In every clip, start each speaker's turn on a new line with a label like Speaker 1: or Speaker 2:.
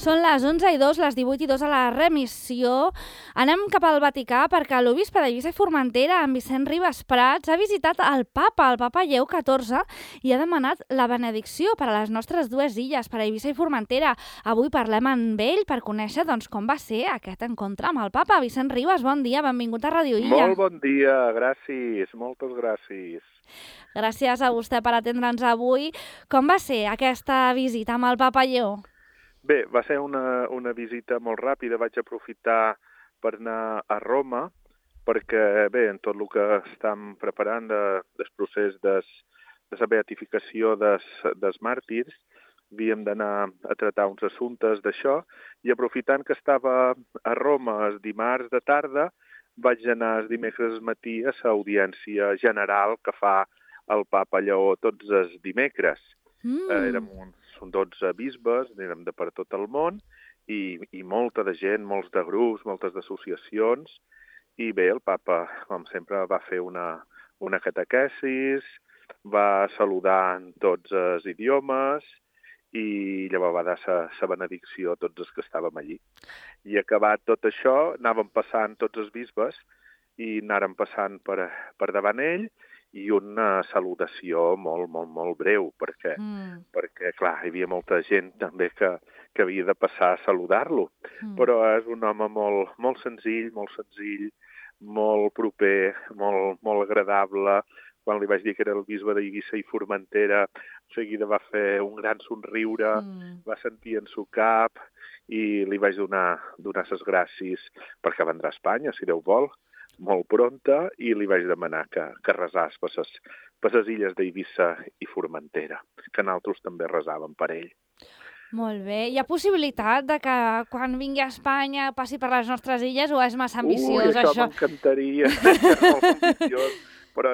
Speaker 1: Són les 11:02, les 18:02 a la remissió. Anem cap al Vaticà perquè l'obisbe d'Eivissa i Formentera, en Vicent Ribas Prats, ha visitat el Papa Lleó XIV, i ha demanat la benedicció per a les nostres dues illes, per a Eivissa i Formentera. Avui parlem amb ell per conèixer com va ser aquest encontre amb el Papa. Vicent Ribas, bon dia, benvingut a Radio Illa.
Speaker 2: Molt bon dia, gràcies, moltes gràcies.
Speaker 1: Gràcies a vostè per atendre'ns avui. Com va ser aquesta visita amb el Papa Lleó?
Speaker 2: Bé, va ser una visita molt ràpida. Vaig aprofitar per anar a Roma perquè, bé, en tot el que estem preparant del procés de la beatificació dels màrtirs, havíem d'anar a tractar uns assumptes d'això, i aprofitant que estava a Roma el dimarts de tarda, vaig anar el dimecres al matí a l'audiència general que fa el Papa Lleó tots els dimecres. Érem uns 12 bisbes, érem de per tot el món, i molta de gent, molts de grups, moltes d'associacions, i bé, el Papa, com sempre, va fer una catequesis, va saludar en tots els idiomes, i llavors va dar la benedicció a tots els que estàvem allí. I acabat tot això, anàvem passant tots els bisbes, i anàrem passant per davant ell, i una salutació molt breu, perquè, clar, hi havia molta gent també que havia de passar a saludar-lo. Però és un home molt senzill, molt proper, molt agradable. Quan li vaig dir que era el bisbe d'Eivissa i Formentera, seguida va fer un gran somriure, va sentir en su cap, i li vaig donar les gràcies perquè vendrà a Espanya, si Déu vol, molt pronta, i li vaig demanar que resàs per les illes d'Eivissa i Formentera, que nosaltres també resàvem per ell.
Speaker 1: Molt bé. Hi ha possibilitat de que quan vingui a Espanya passi per les nostres illes, o és massa ambiciós, això?
Speaker 2: Això m'encantaria. És molt ambiciós. Però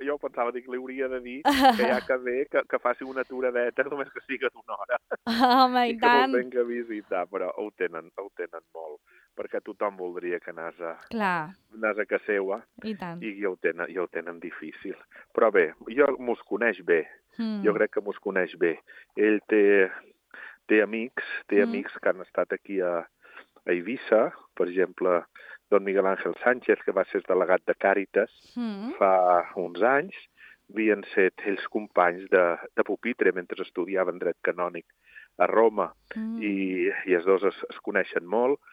Speaker 2: jo pensava que li hauria de dir que ja que ve, que faci una aturadeta, només que sigui d'una hora.
Speaker 1: Home, i tant.
Speaker 2: I que me'l venga a visitar, però ho tenen molt, perquè tothom voldria que anàs a casa seva, i ja ho tenen difícil. Però bé, mos coneix bé, jo crec que mos coneix bé. Ell té amics que han estat aquí a Eivissa, per exemple, don Miguel Ángel Sánchez, que va ser delegat de Càritas fa uns anys, havien set ells companys de pupitre mentre estudiaven dret canònic a Roma, i els dos es coneixen molt,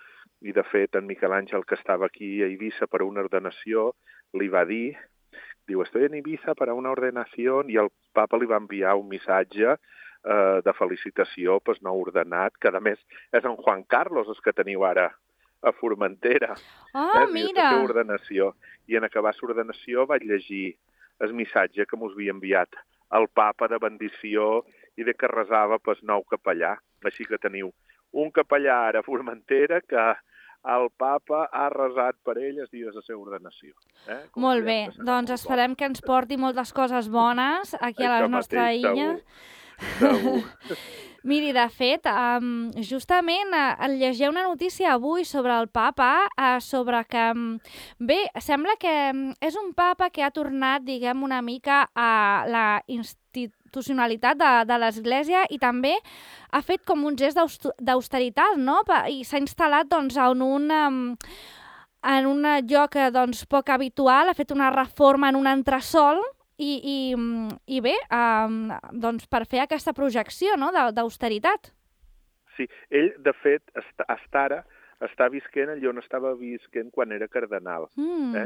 Speaker 2: i de fet en Miquel Àngel, que estava aquí a Eivissa per una ordenació, li va dir, diu, estoy en Eivissa para una ordenación, i el papa li va enviar un missatge de felicitació pel nou ordenat, que a més és en Juan Carlos, el que teniu ara a Formentera.
Speaker 1: Mira!
Speaker 2: La ordenació. I en acabar l'ordenació vaig llegir el missatge que mos havia enviat el papa de bendició i de que resava pel nou capellà. Així que teniu un capellà ara a Formentera que el papa ha resat per ell els dies de la seva ordenació.
Speaker 1: Molt bé, doncs esperem que ens porti moltes coses bones aquí a la nostra illa.
Speaker 2: Segur.
Speaker 1: Miri, de fet, justament llegia una notícia avui sobre el papa, sobre que, bé, sembla que és un papa que ha tornat, diguem, una mica a la institucionalitat de l'Església, i també ha fet com un gest d'austeritat, no? I s'ha instal·lat en un lloc poc habitual, ha fet una reforma en un entresòl, i bé, per fer aquesta projecció, no?, d'austeritat.
Speaker 2: Sí, ell, de fet, ara està visquent allà on estava visquent quan era cardenal,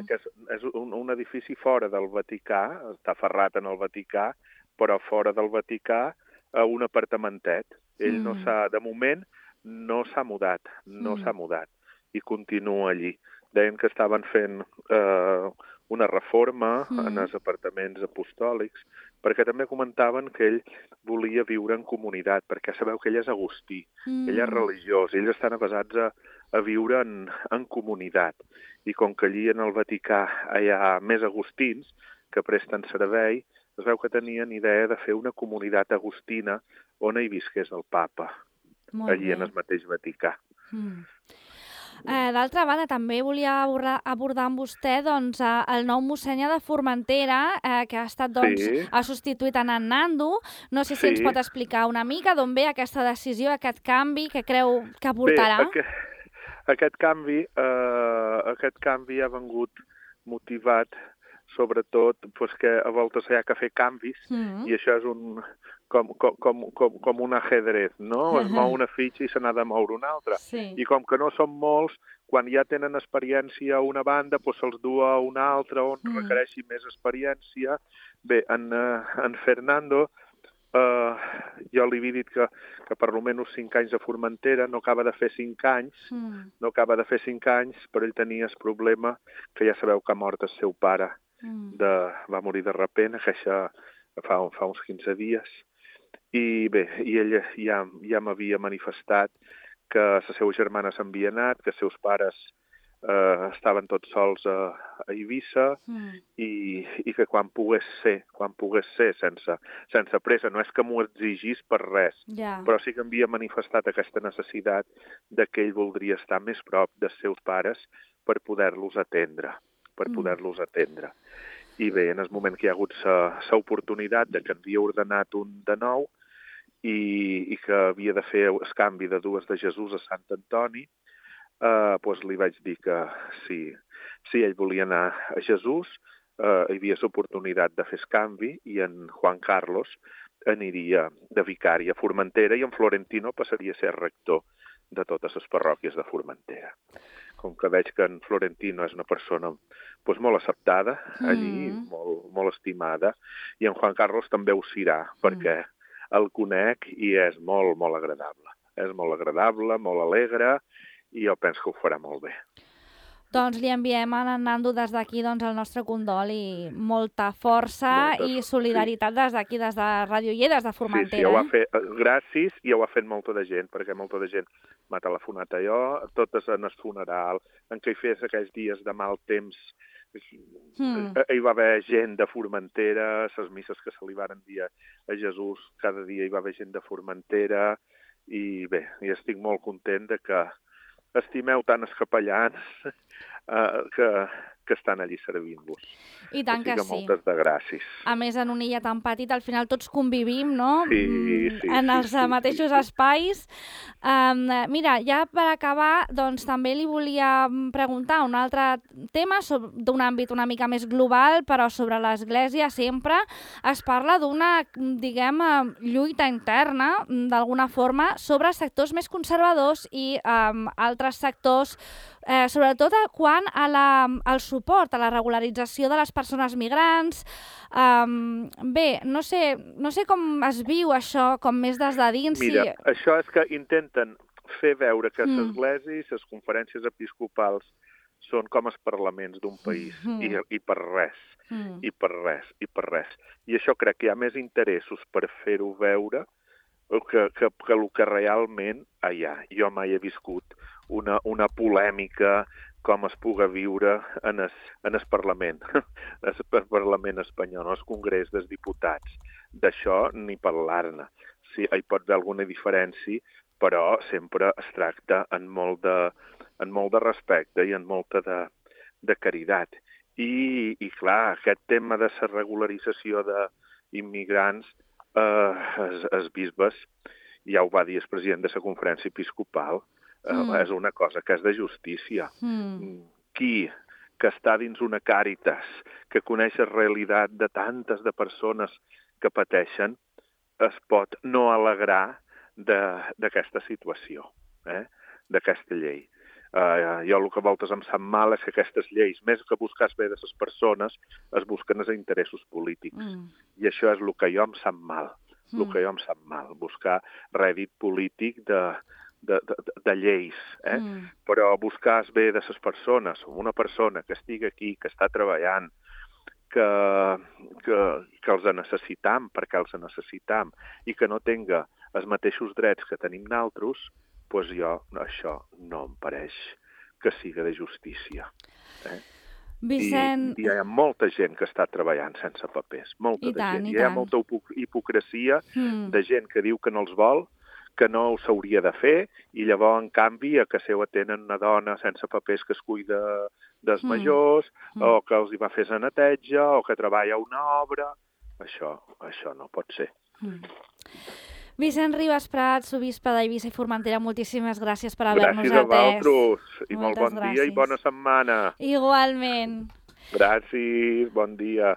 Speaker 2: que és un edifici fora del Vaticà, està ferrat en el Vaticà, però fora del Vaticà, un apartamentet. Ell de moment no s'ha mudat, i continua allí. Deien que estaven fent una reforma en els apartaments apostòlics, perquè també comentaven que ell volia viure en comunitat, perquè sabeu que ell és agustí, ell és religiós, ells estan avesats a viure en comunitat. I com que allí en el Vaticà hi ha més agustins que presten servei, es veu que tenien idea de fer una comunitat agustina on hi visqués el papa, allí en el mateix Vaticà.
Speaker 1: D'altra banda, també volia abordar amb vostè doncs, el nou mossènyer de Formentera, que ha estat, doncs, ha substituït en Nando. No sé si ens pot explicar una mica d'on ve aquesta decisió, aquest canvi, que creu que aportarà.
Speaker 2: Bé, aquest canvi ha vengut motivat sobretot que a voltes hi ha que fer canvis i això és com un ajedrez, no? Es mou una fitxa i se n'ha de moure una altra. I com que no són molts, quan ja tenen experiència a una banda, se'ls du a una altra on requereixi més experiència. Bé, en Fernando, jo li havia dit que per almenys 5 anys a Formentera, no acaba de fer 5 anys, però ell tenia el problema que ja sabeu que ha mort el seu pare. Va morir de repent, que això fa uns 15 dies. I bé, ell ja m'havia manifestat que les seves germanes s'havien anat, que els seus pares estaven tots sols a Eivissa i que quan pogués ser, sense pressa, no és que m'ho exigís per res, però sí que havia manifestat aquesta necessitat de que ell voldria estar més prop dels seus pares per poder-los atendre. I bé, en el moment que hi ha hagut l'oportunitat de que havia ordenat un de nou i que havia de fer el canvi de dues de Jesús a Sant Antoni, li vaig dir que si ell volia anar a Jesús, hi havia l'oportunitat de fer el canvi i en Juan Carlos aniria de vicari a Formentera i en Florentino passaria a ser rector de totes les parròquies de Formentera. Com que veig que en Florentino és una persona molt acceptada allí, molt estimada, i en Juan Carlos també ho serà, perquè el conec i és molt, molt agradable. És molt agradable, molt alegre, i jo penso que ho farà molt bé.
Speaker 1: Doncs li enviem a en Nando des d'aquí el nostre condol i molta força i solidaritat des d'aquí, des de Ràdio I, des de Formentera.
Speaker 2: Sí, ho ha fet, gràcies, i ho ha fet molta de gent, perquè molta de gent m'ha telefonat a jo, totes en el funeral, en què hi fes aquells dies de mal temps. Hi va haver gent de Formentera, les misses que se li van dir a Jesús, cada dia hi va haver gent de Formentera, i bé, i estic molt content de que estimeu tant els capellans que estan allí servint-vos.
Speaker 1: I tant que sí.
Speaker 2: Moltes de gràcies.
Speaker 1: A més, en una illa tan petita, al final tots convivim, no?
Speaker 2: Sí.
Speaker 1: En els mateixos espais. Mira, ja per acabar, doncs també li volia preguntar un altre tema d'un àmbit una mica més global, però sobre l'Església sempre es parla d'una, diguem, lluita interna, d'alguna forma, sobre sectors més conservadors i altres sectors, sobretot quant al suport a la regularització de les persones migrants. Bé, no sé com es viu això, com més des de dins.
Speaker 2: Mira, això és que intenten fer veure que les esglésies, les conferències episcopals, són com els parlaments d'un país, i per res. I això crec que hi ha més interessos per fer-ho veure que el que realment hi ha. Jo mai he viscut una polèmica com es puga viure en el Parlament, el Parlament espanyol, el Congrés dels Diputats. D'això ni parlar-ne. Sí, hi pot haver alguna diferència, però sempre es tracta amb molt de respecte i amb molta de caritat. I clar, aquest tema de la regularització d'immigrants, els bisbes, ja ho va dir el president de la conferència episcopal, és una cosa que és de justícia. Qui que està dins una càritas, que coneix la realitat de tantes de persones que pateixen, es pot no alegrar d'aquesta situació, d'aquesta llei. Jo el que a voltes em sap mal és que aquestes lleis, més que buscar el bé de les persones, es busquen els interessos polítics. I això és el que jo em sap mal. Buscar rèdit polític de lleis, però buscar el bé de les persones, una persona que estigui aquí, que està treballant, que els necessitam perquè els necessitam i que no tenga els mateixos drets que tenim nosaltres, doncs jo això no em pareix que siga de justícia.
Speaker 1: Vicent...
Speaker 2: I hi ha molta gent que està treballant sense papers, molta gent. Hi ha molta hipocresia de gent que diu que no els vol, que no ho s'hauria de fer, i llavors, en canvi, a casa seva tenen una dona sense papers que es cuida dels majors, o que els hi va fer la neteja, o que treballa a una obra. Això no pot ser.
Speaker 1: Vicent Ribas Prats, obispe d'Eivissa i Formentera, moltíssimes gràcies per haver-nos atès.
Speaker 2: Gràcies a vosaltres, i molt bon dia i bona setmana.
Speaker 1: Igualment.
Speaker 2: Gràcies, bon dia.